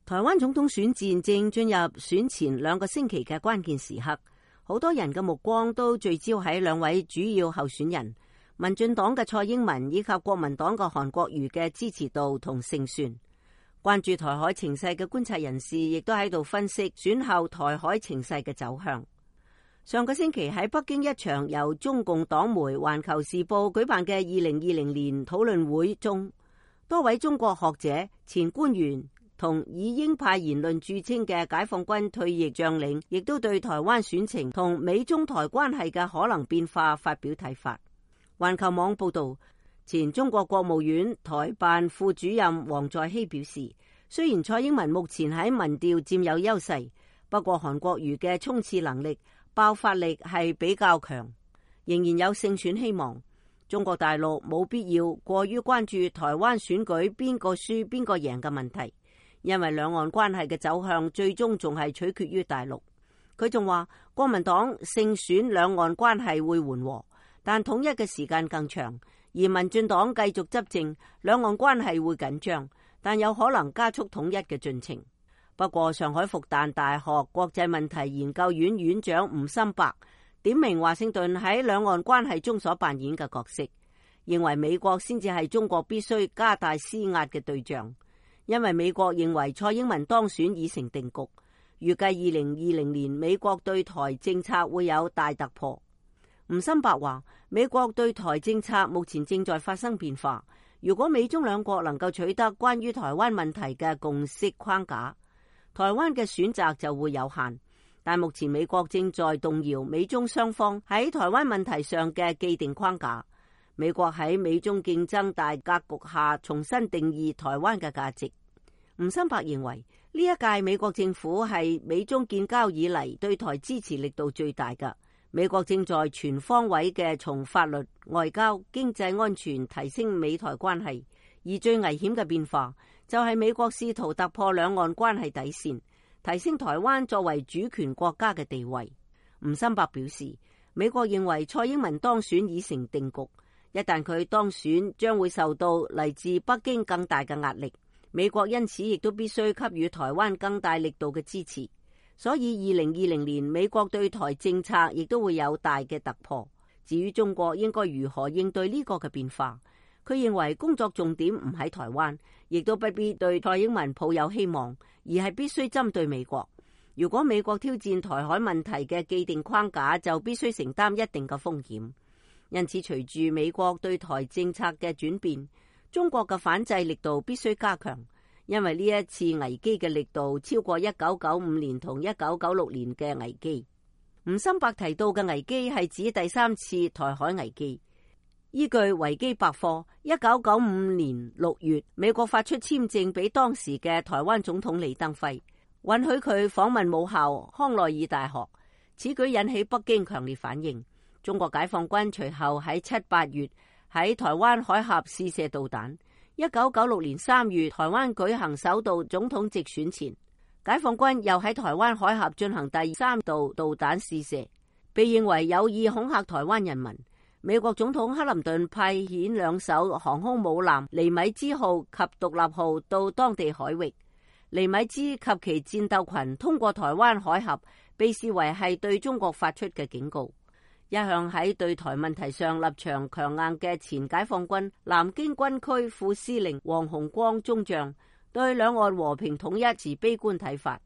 台灣總統選戰正進入選前2個星期嘅關鍵時刻，好多人嘅目光都聚焦喺2位主要候選人，民進黨嘅蔡英文以及國民黨嘅韓國瑜嘅支持度同勝算。關注台海情勢嘅觀察人士亦都喺度分析選後台海情勢嘅走向。上個星期喺北京一場由中共黨媒《環球時報》舉辦嘅2020年討論會中，多位中國學者、前官員同以鷹派言論著稱嘅解放軍退役將領，亦都對台灣選情同美中台關係嘅可能變化發表睇法。環球網報道，前中國國務院台辦副主任黃在熙表示，雖然蔡英文目前喺民調佔有優勢，不過韓國瑜嘅衝刺能力、爆發力係比較強，仍然有勝選希望。中國大陸冇必要過於關注台灣選舉邊個輸邊個贏嘅問題，因為兩岸關係嘅走向最終仲係取決於大陸。佢仲話，國民黨勝選兩岸關係會緩和，但統一嘅時間更長；而民進黨繼續執政，兩岸關係會緊張，但有可能加速統一嘅進程。不過，上海復旦大學國際問題研究院院長吳心伯點名華盛頓喺兩岸關係中所扮演嘅角色，認為美國先至係中國必須加大施壓嘅對象。因為美國認為蔡英文當選已成定局，預計2020年美國對台政策會有大突破。吳心伯話，美國對台政策目前正在發生變化，如果美中兩國能夠取得關於台灣問題嘅共識框架，台灣嘅選擇就會有限。但目前美國正在動搖美中雙方喺台灣問題上嘅既定框架。美國喺美中競爭大格局下重新定義台灣嘅價值。吳心伯認為，呢一屆美國政府係美中建交以嚟對台支持力度最大嘅。美國正在全方位嘅從法律、外交、經濟、安全提升美台關係，而最危險嘅變化就係美國試圖突破兩岸關係底線，提升台灣作為主權國家嘅地位。吳心伯表示，美國認為蔡英文當選已成定局，一旦佢當選，將會受到嚟自北京更大嘅壓力。美國因此亦都必須給予台灣更大力度嘅支持，所以2020年美國對台政策亦都會有大嘅突破。至於中國應該如何應對呢個嘅變化，佢認為工作重點唔喺台灣，亦都不必對蔡英文抱有希望，而係必須針對美國。如果美國挑戰台海問題嘅既定框架，就必須承擔一定嘅風險。因此，隨住美國對台政策嘅轉變，中國嘅反制力度必須加強，因為呢一次危機嘅力度超過1995年同1996年嘅危機。吳心伯提到嘅危機係指第3次台海危機。依據維基百科，1995年6月，美國發出簽證俾當時嘅台灣總統李登輝，允許佢訪問母校康奈爾大學。此舉引起北京強烈反應。中國解放軍隨後喺7、8月喺台灣海峽試射導彈。1996年3月，台灣舉行首度總統直選前，解放軍又喺台灣海峽進行第3度導彈試射，被認為有意恐嚇台灣人民。美國總統克林頓派遣2艘航空母艦尼米茲號及獨立號到當地海域，尼米茲及其戰鬥群通過台灣海峽，被視為係對中國發出嘅警告。一向喺對台問題上立場強硬嘅前解放軍南京軍區副司令黃鴻光中將對兩岸和平統一持悲觀睇法，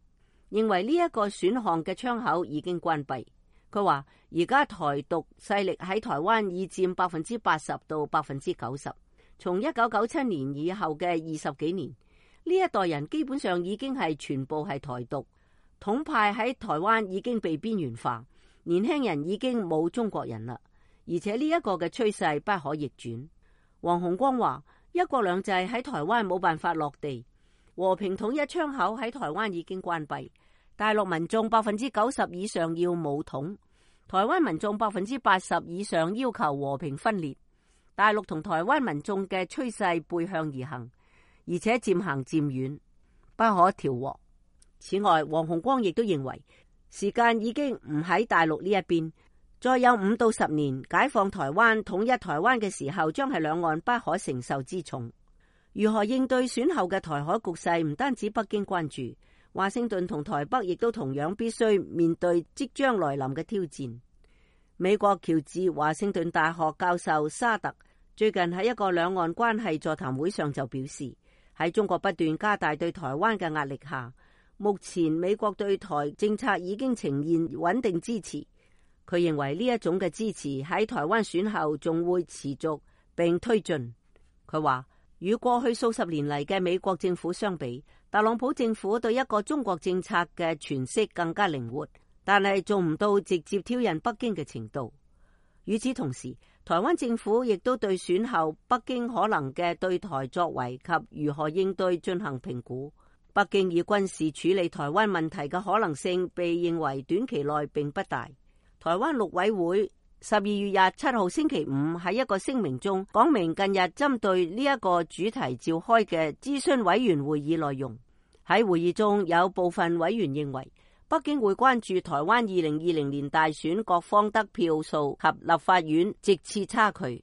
認為呢一個選項嘅窗口已經關閉。佢話而家台獨勢力喺台灣已佔80%到90%，從1997年以後嘅20幾年，呢一代人基本上已經係全部係台獨，統派喺台灣已經被邊緣化。年輕人已經冇中國人啦，而且呢一個嘅趨勢不可逆轉。黃鴻光話，一國兩制喺台灣冇辦法落地，和平統一窗口喺台灣已經關閉。大陸民眾90%以上要武統，台灣民眾80%以上要求和平分裂。大陸同台灣民眾嘅趨勢背向而行，而且漸行漸遠，不可調和。此外，黃鴻光亦都認為，時間已經唔喺大陸呢一邊，再有5到10年解放台灣、統一台灣嘅時候，將係兩岸不可承受之重。如何應對選後嘅台海局勢，唔單止北京關注，華盛頓同台北亦都同樣必須面對即將來臨嘅挑戰。美國喬治華盛頓大學教授沙特最近喺一個兩岸關係座談會上就表示，喺中國不斷加大對台灣嘅壓力下，目前美國對台政策已經呈現穩定支持。佢認為呢一種嘅支持喺台灣選後仲會持續並推進。佢話，與過去數十年嚟嘅美國政府相比，特朗普政府對一個中國政策嘅詮釋更加靈活，但係做唔到直接挑釁北京嘅程度。與此同時，台灣政府亦都對選後北京可能嘅對台作為及如何應對進行評估。北京以軍事處理台灣問題嘅可能性被認為短期內並不大。台灣陸委會12月27號星期五喺一個聲明中講明，近日針對呢一個主題召開嘅諮詢委員會議內容。喺會議中有部分委員認為，北京會關注台灣2020年大選各方得票數及立法院席次差距，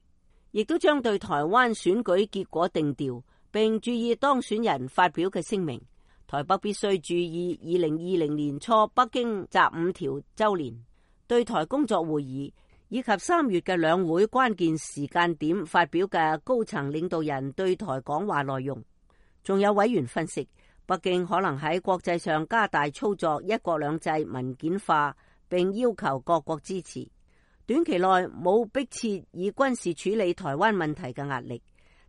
亦都將對台灣選舉結果定調，並注意當選人發表嘅聲明。台北必須注意2020年初北京習五條週年對台工作會議，以及3月嘅兩會關鍵時間點發表嘅高層領導人對台講話內容。仲有委員分析，北京可能喺國際上加大操作一國兩制文件化，並要求各國支持。短期內冇迫切以軍事處理台灣問題嘅壓力，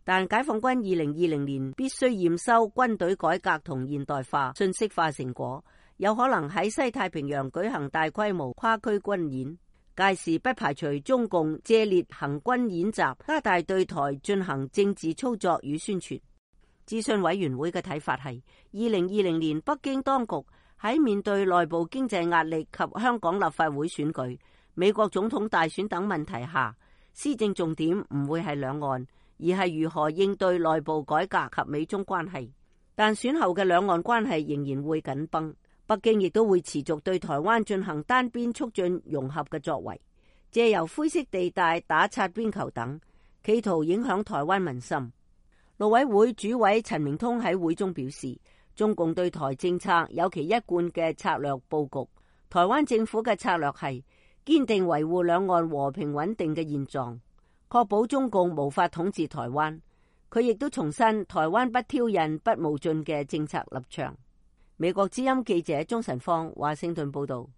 但解放軍2020年必須驗收軍隊改革同現代化、信息化成果，有可能喺西太平洋舉行大規模跨區軍演。屆時不排除中共借列行軍演習，加大對台進行政治操作與宣傳。諮詢委員會嘅睇法係，2020年北京當局喺面對內部經濟壓力及香港立法會選舉、美國總統大選等問題下，施政重點唔會係兩岸，而係如何應對內部改革及美中關係。但選後嘅兩岸關係仍然會緊繃，北京亦都會持續對台灣進行單邊促進融合嘅作為，借由灰色地帶打擦邊球等，企圖影響台灣民心。陸委會主委陳明通喺會中表示，中共對台政策有其一貫嘅策略佈局，台灣政府嘅策略係堅定維護兩岸和平穩定嘅現狀，確保中共無法統治台灣。佢亦都重申台灣不挑釁、不冒進嘅政策立場。美國之音記者鍾晨芳華盛頓報道。